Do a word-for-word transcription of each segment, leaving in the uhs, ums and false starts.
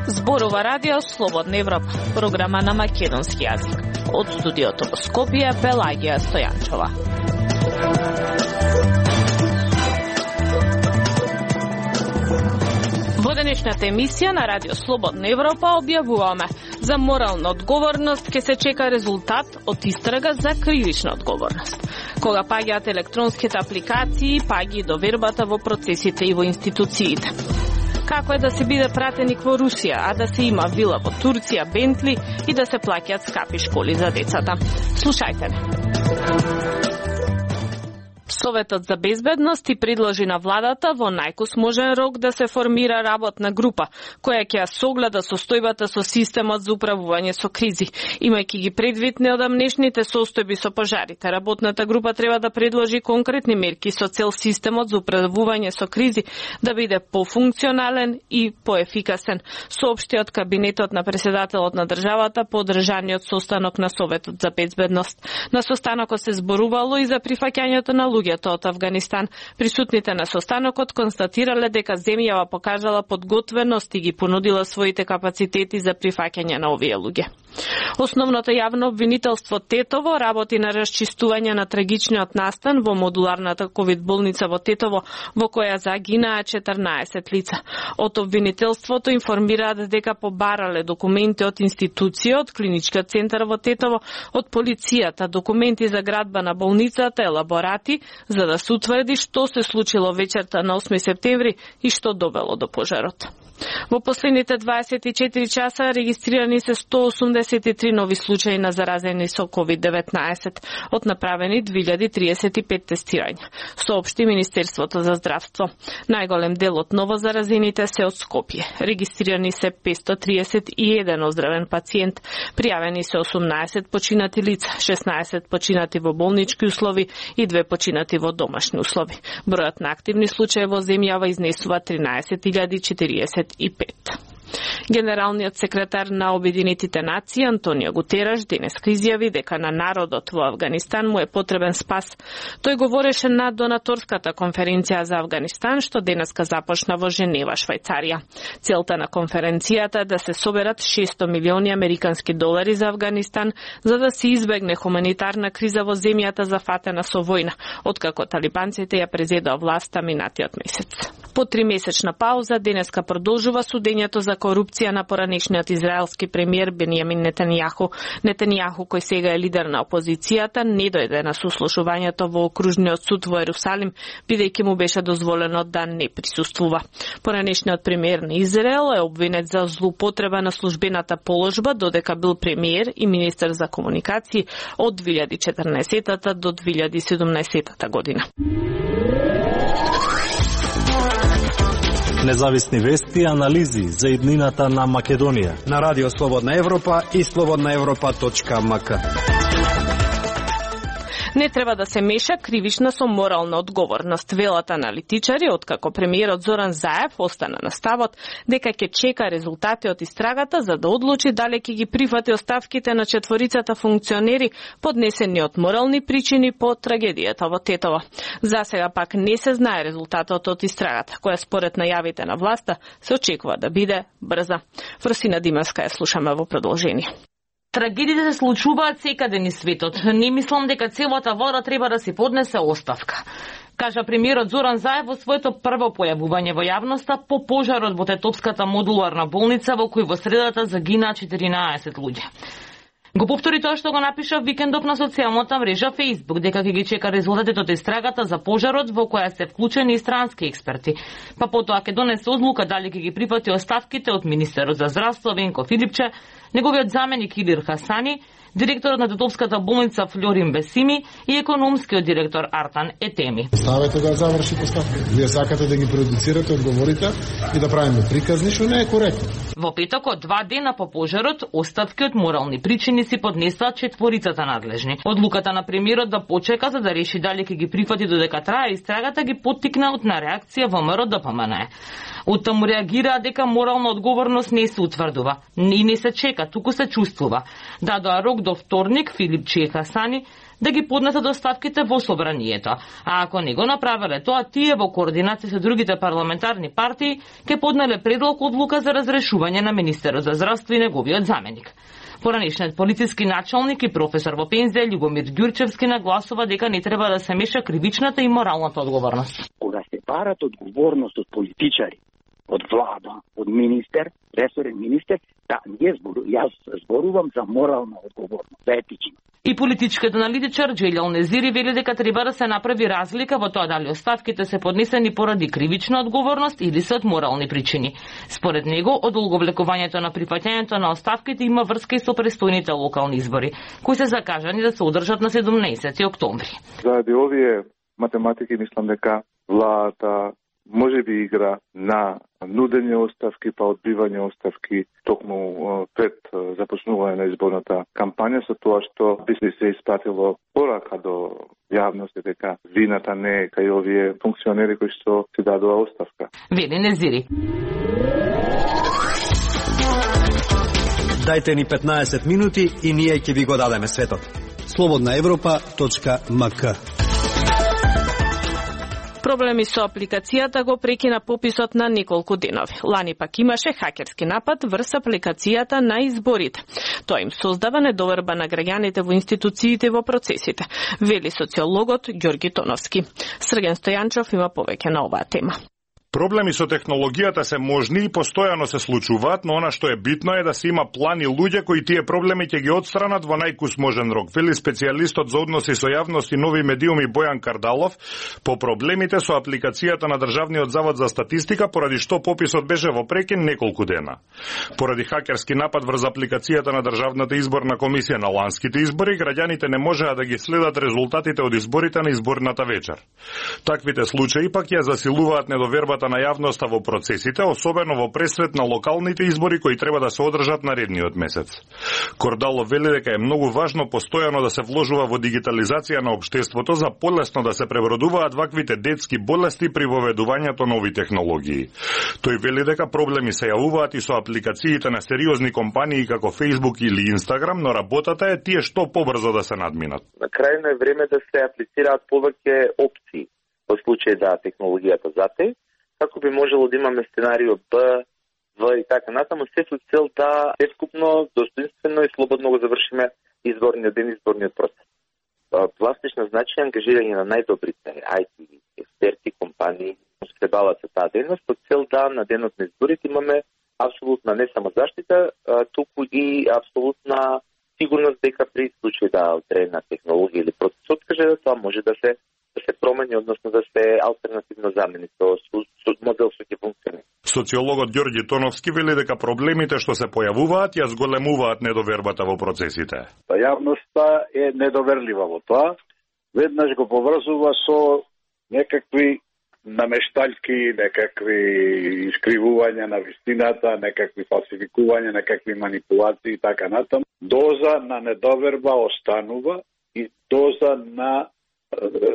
Зборува радио Слободна Европа, програма на македонски јазик. Од студиото во Скопје, Пелагија Стојанчова. Во денешната емисија на радио Слободна Европа објавуваме за морална одговорност ќе се чека резултат од истрага за кривична одговорност. Кога паѓаат електронските апликации, паѓа и довербата во процесите и во институциите. Како е да се биде пратеник во Русија, а да се има вила во Турција, Бентли и да се плаќаат скапи школи за децата? Слушајте не. Советот за безбедност и предложи на владата во најкусможен рок да се формира работна група, која ќе ја согледа состојбата со системот за управување со кризи. Имајќи ги предвид неодамнешните состојби со пожарите, работната група треба да предложи конкретни мерки со цел системот за управување со кризи да биде пофункционален и поефикасен, соопшти од кабинетот на председателот на државата по одржаниот состанок на Советот за безбедност. На состанокот се зборувало и за прифаќањето на луѓето од Авганистан. Присутните на состанокот констатирале дека земјава покажала подготвеност и ги понудила своите капацитети за прифаќање на овие луѓе. Основното јавно обвинителство Тетово работи на расчистување на трагичниот настан во модуларната ковид болница во Тетово, во која загинаа четрнаесет лица. Од обвинителството информираат дека побарале документи од институција, од клиничкиот центар во Тетово, од полицијата, документи за градба на болницата, елаборати, за да се утврди што се случило вечерта на осми септември и што довело до пожарот. Во последните дваесет и четири часа регистрирани се сто осумдесет и три нови случаи на заразени со ковид деветнаесет, од направени две илјади триесет и пет тестирања, соопшти Министерството за здравство. Најголем дел од новозаразените се од Скопје. Регистрирани се петстотини триесет и еден оздравен пациент, пријавени се осумнаесет починати лица, шеснаесет починати во болнички услови и две починати во домашни услови. Бројот на активни случаи во земјава изнесува тринаесет илјади четириесет и пет. Генералниот секретар на Обединетите нации Антонио Гутераш денеска изјави дека на народот во Авганистан му е потребен спас. Тој говореше на донаторската конференција за Авганистан што денеска започна во Женева, Швајцарија. Целта на конференцијата е да се соберат шесто милиони американски долари за Авганистан за да се избегне хуманитарна криза во земјата зафатена со војна, откако талибанците ја презедоа власта минатиот месец. По тримесечна пауза денеска продолжува судењето за корупција на поранешниот израелски премиер Бенјамин Нетанијаху. Нетанијаху, кој сега е лидер на опозицијата, не дојде на сослушувањето во окружниот суд во Ерусалим, бидејќи му беше дозволено да не присуствува. Поранешниот премиер на Израел е обвинет за злоупотреба на службената положба, додека бил премиер и министер за комуникации од две илјади и четрнаесета до две илјади и седумнаесета година. Независни вести и анализи за иднината на Македонија на Радио Слободна Европа и слободна европа точка ем ка. Не треба да се меша кривична со морална одговорност, велат аналитичари, откако премиерот Зоран Заев остана на ставот дека ќе чека резултати од истрагата за да одлучи дали ќе ги прифати оставките на четворицата функционери поднесени од морални причини по трагедијата во Тетово. За сега пак не се знае резултатот од истрагата, која според најавите на власта се очекува да биде брза. Фросина Димовска ја слушаме во продолжение. Трагедиите се случуваат секаде низ светот. Не мислам дека целата влада треба да се поднесе оставка, кажа премиерот Зоран Заев во своето прво појавување во јавноста по пожарот во Тетовската модуларна болница во кој во средата загинаа четиринаесет луѓе. Го повтори тоа што го напиша викендов на социјалната мрежа Facebook, дека ќе ги чека резултатите од истрагата за пожарот во која се вклучени и странски експерти. Па потоа ќе донесе одлука дали ќе ги прифати оставките од министерот за здравство Венко Филипче, неговиот заменик Илир Хасани, директорот на Тетовската болница Флорин Бесими и економскиот директор Артан Етеми. Ставете да заврши поставка. Вие сакате да ги продуцирате одговорите и да правиме приказни, што не е коректно. Во петокот, два дена по пожарот, оставки од морални причини си поднесаат четворицата надлежни. Одлуката на премиерот да почека за да реши дали ќе ги прифати додека трае истрагата ги поттикна од на реакција во ВМРО ДПМН. Оттаму реагираа дека морална одговорност не се утврдува и не се чека, туку се чувствува. Дадоа рок до вторник Филип Чехасани да ги поднесат оставките во собранието. А ако не го направеле тоа, тие во координација со другите парламентарни партии ќе поднеле предлог одлука за разрешување на министерот за здравство и неговиот заменик. Поранешниот полициски началник и професор во пензија Љубомир Ѓурчевски нагласува дека не треба да се меша кривичната и моралната одговорност. Кога се барат одговорност од политичари, од влада, од министер, ресорен министер, да, ние збору, јас зборувам за морална одговорност, за етична. И политичкиот аналитичар Джелјал Незири вели дека треба да се направи разлика во тоа дали оставките се поднесени поради кривична одговорност или се од морални причини. Според него, одолговлекувањето на прифаќањето на оставките има врска и со престојните локални избори, кои се закажани да се одржат на седумнаесети октомври. Заради овие математики мислам дека владата може би игра на нудење оставки, па одбивање оставки токму пред започнување на изборната кампања, со тоа што би се испратило порака до јавност дека вината не е кај овие функционери кои што си дадоа оставка. Вели Незири. Дајте ни петнаесет минути и ние ќе ви го дадеме светот. слободна европа точка ем ка. Проблеми со апликацијата го прекина пописот на неколку денови. Лани пак имаше хакерски напад врз апликацијата на изборите. Тоа им создава недоверба на граѓаните во институциите во процесите, вели социологот Ѓорги Тоновски. Срген Стојанчов има повеќе на оваа тема. Проблеми со технологијата се можни и постојано се случуваат, но она што е битно е да се има план и луѓе кои тие проблеми ќе ги отстранат во најкус можен рок, вели специјалистот за односи со јавност и нови медиуми Бојан Кардалов по проблемите со апликацијата на Државниот завод за статистика, поради што пописот беше во прекин неколку дена. Поради хакерски напад врз апликацијата на Државната изборна комисија на ланските избори, граѓаните не можеа да ги следат резултатите од изборите на изборната вечер. Таквите случаи пак ја засилуваат недовербата на јавноста во процесите, особено во пресред на локалните избори кои треба да се одржат наредниот месец. Кордало вели дека е многу важно постојано да се вложува во дигитализација на општеството за полесно да се пребродуваат ваквите детски болести при воведувањето нови технологии. Тој вели дека проблеми се јавуваат и со апликациите на сериозни компании како Facebook или Instagram, но работата е тие што побрзо да се надминат. На крајно е време да се аплицираат повеќе опции во случај да технологијата затоа, како би можело да имаме сценарио Б, В и така натаму, се со цел да сескупно, достоинствено и слободно го завршиме изборниот ден, изборниот процес. Пластично значи ангажирање на најдобрите ај ти експерти, компании, се бават со таа дејност, со цел да на денот на изборите имаме апсолутна не само заштита, туку и апсолутна сигурност дека при случај да одредена технологија или процес откаже, да тоа може да се да се промени, односно да се алтернативно замени со, со модел што ќе функционира. Социологот Ѓорги Тоновски вели дека проблемите што се појавуваат ја зголемуваат недовербата во процесите. Јавноста е недоверлива во тоа. Веднаш го поврзува со некакви намешталки, некакви искривувања на вистината, некакви фалсификувања, некакви манипулации и така натаму. Доза на недоверба останува и доза на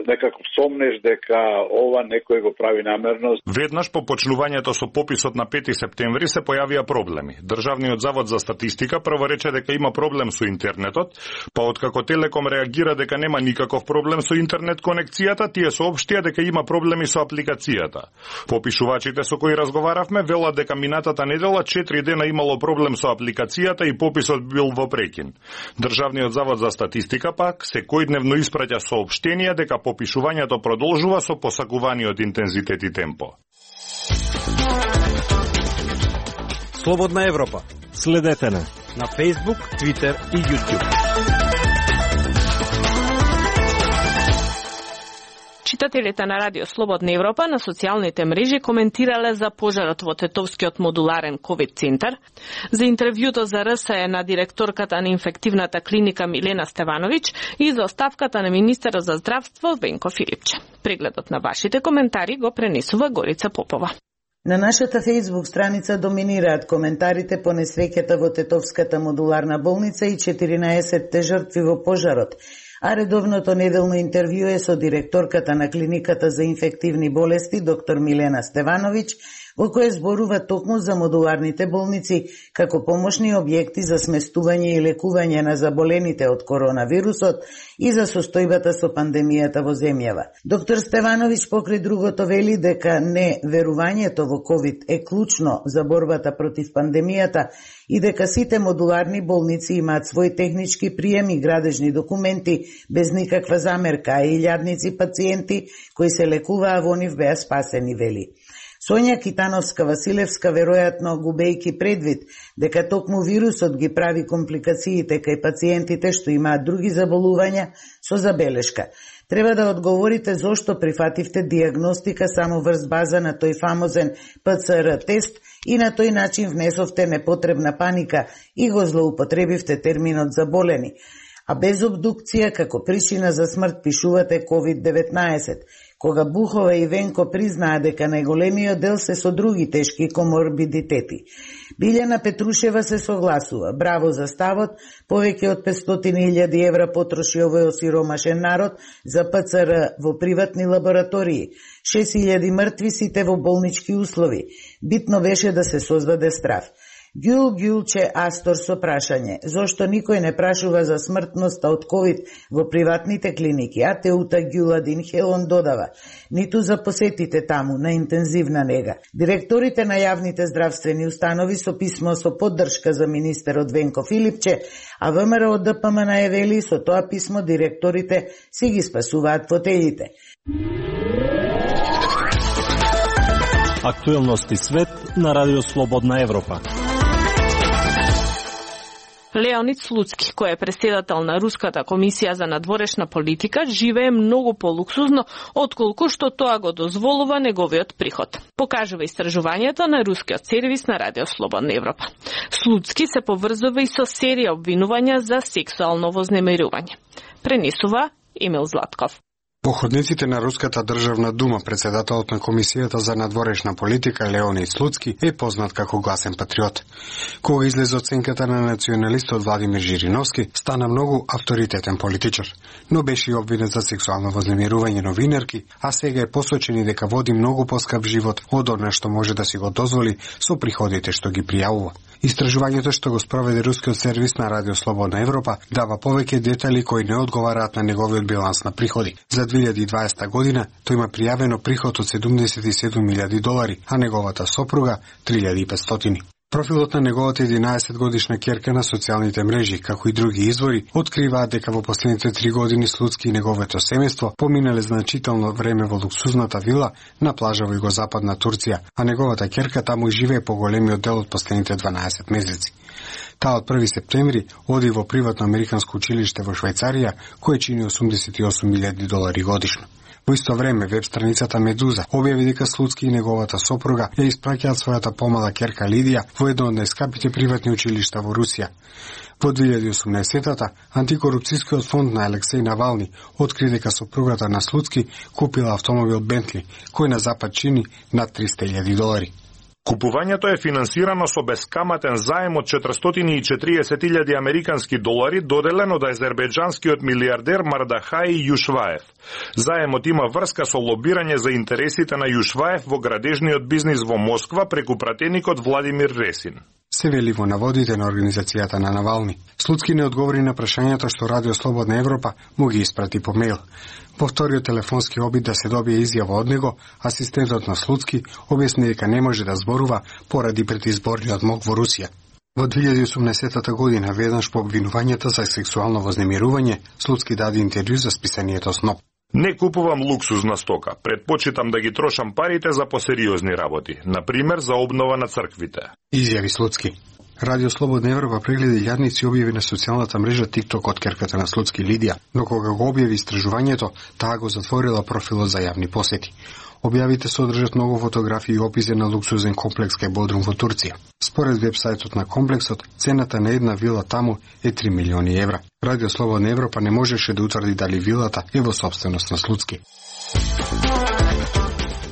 некако сомнеш дека ова некој го прави намерно. Веднаш по почнувањето со пописот на пети септември се појавија проблеми. Државниот завод за статистика прво рече дека има проблем со интернетот, па откако Телеком реагира дека нема никаков проблем со интернет конекцијата, тие соопштија дека има проблеми со апликацијата. Попишувачите со кои разговаравме велат дека минатата недела четири дена имало проблем со апликацијата и пописот бил во прекин. Државниот завод за статистика пак секојдневно испраќа соопштенија дека попишувањето продолжува со посакуваниот интензитет и темпо. Слободна Европа. Следете на на Facebook, Twitter и YouTube. Читателите на Радио Слободна Европа на социјалните мрежи коментирале за пожарот во Тетовскиот модуларен ковид центар, за интервјуто за РСЕ на директорката на инфективната клиника Милена Стевановиќ и за оставката на министерот за здравство Венко Филипче. Прегледот на вашите коментари го пренесува Горица Попова. На нашата Facebook страница доминираат коментарите по несреќата во Тетовската модуларна болница и четиринаесетте жртви во пожарот, а редовното неделно интервју е со директорката на клиниката за инфективни болести доктор Милена Стевановиќ, во кое зборува токму за модуларните болници како помошни објекти за сместување и лекување на заболените од коронавирусот и за состојбата со пандемијата во земјава. Доктор Стевановиќ покрај другото вели дека не верувањето во ковид е клучно за борбата против пандемијата и дека сите модуларни болници имаат свој технички прием и градежни документи без никаква замерка, а илјадници пациенти кои се лекуваа во нив беа спасени, вели. Сонја Китановска-Василевска, веројатно губејки предвид дека токму вирусот ги прави компликациите кај пациентите што имаат други заболувања, со забелешка: треба да одговорите зошто прифативте диагностика само врз база на тој фамозен П Ц Р тест и на тој начин внесовте непотребна паника и го злоупотребивте терминот заболени, а без обдукција како причина за смрт пишувате ковид деветнаесет, кога Бухова и Венко признаа дека најголемиот дел се со други тешки коморбидитети. Билјана Петрушева се согласува. Браво за ставот, повеќе од петстотини илјади евра потроши овој осиромашен народ за П Ц Р во приватни лаборатории, шест илјади мртви, сите во болнички услови. Битно беше да се создаде страв. Гюл Гюлче Астор со прашање: зошто никој не прашува за смртноста од ковид во приватните клиники, а Теута Гюладин Хелон додава: ниту за посетите таму на интензивна нега. Директорите на јавните здравствени установи со писмо со поддршка за министерот Венко Филипче, а ВМРО Д П М Н е вели со тоа писмо директорите си ги спасуваат фотелите. Актуелности свет на Радио Слободна Европа. Леонид Слуцки, кој е преседател на Руската комисија за надворешна политика, живее многу полуксузно отколку што тоа го дозволува неговиот приход. Покажува истражувањето на рускиот сервис на Радио Слободна Европа. Слуцки се поврзува и со серија обвинувања за сексуално вознемирување. Пренесува Емил Златков. Походниците на Руската државна дума, председателот на Комисијата за надворешна политика Леонид Слуцки е познат како гласен патриот. Кога излезе оценката на националистот Владимир Жириновски, стана многу авторитетен политичар, но беше и обвинет за сексуално вознемирување новинарки, а сега е посочен дека води многу поскап живот од она што може да си го дозволи со приходите што ги пријавува. Истражувањето што го спроведе рускиот сервис на Радио Слободна Европа дава повеќе детали кои не одговараат на неговиот биланс на приходи. За две илјади и дваесета година тој има пријавено приход од седумдесет и седум илјади долари, а неговата сопруга три илјади и петстотини. Профилот на неговата единаесет годишна ќерка на социјалните мрежи, како и други извори, откриваат дека во последните три години Слуцки и неговото семејство поминале значително време во луксузната вила на плажа во југозападна Турција, а неговата ќерка таму живее поголемиот дел од последните дванаесет месеци. Таа од први септември оди во приватно американско училиште во Швајцарија, кое чини осумдесет и осум илјади долари годишно. Во исто време, веб страницата Медуза објави дека Слуцки и неговата сопруга ја испраќаат својата помала ќерка Лидија во едно од најскапите приватни училишта во Русија. Во две илјади и осумнаесета антикорупцијскиот фонд на Алексеј Навални откри дека сопругата на Слуцки купила автомобил Бентли, кој на запад чини над триста илјади долари. Купувањето е финансирано со бескаматен заем од четиристотини и четириесет илјади американски долари доделен од азербејџанскиот милиардер Мардахај Јушваев. Заемот има врска со лобирање за интересите на Јушваев во градежниот бизнис во Москва преку пратеникот Владимир Ресин. Се вели во наводите на организацијата на Навални. Слуцки не одговори на прашањата што Радио Слободна Европа му ги испрати по мејл. Во вториот телефонски обид да се добие изјава од него, асистентот на Слуцки објасни дека не може да зборува поради предизборниот мок во Русија. Во две илјади и осумнаесета година, веднаш по обвинувањата за сексуално вознемирување, Слуцки даде интервју за списанието Сноп. Не купувам луксузна стока, предпочитам да ги трошам парите за посериозни работи, например за обнова на црквите. Изјави Слуцки. Радио Слободна Европа прегледа илјадници објави на социјалната мрежа TikTok од ќерката на Слуцки Лидија, но кога го објави истражувањето, таа го затворила профилот за јавни посети. Објавите содржат многу фотографии и описи на луксузен комплекс кај Бодрум во Турција. Според вебсајтот на комплексот, цената на една вила таму е три милиони евра. Радио Слободна Европа не можеше да утврди дали вилата е во собственост на Слуцки.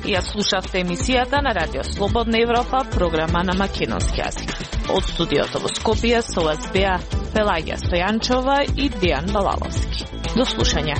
Ја слушавте емисијата на Радио Слободна Европа, програма на македонски јазик. Од студиото во Скопје со вас беа Пелагија Стојанчова и Дејан Балаловски. До слушање.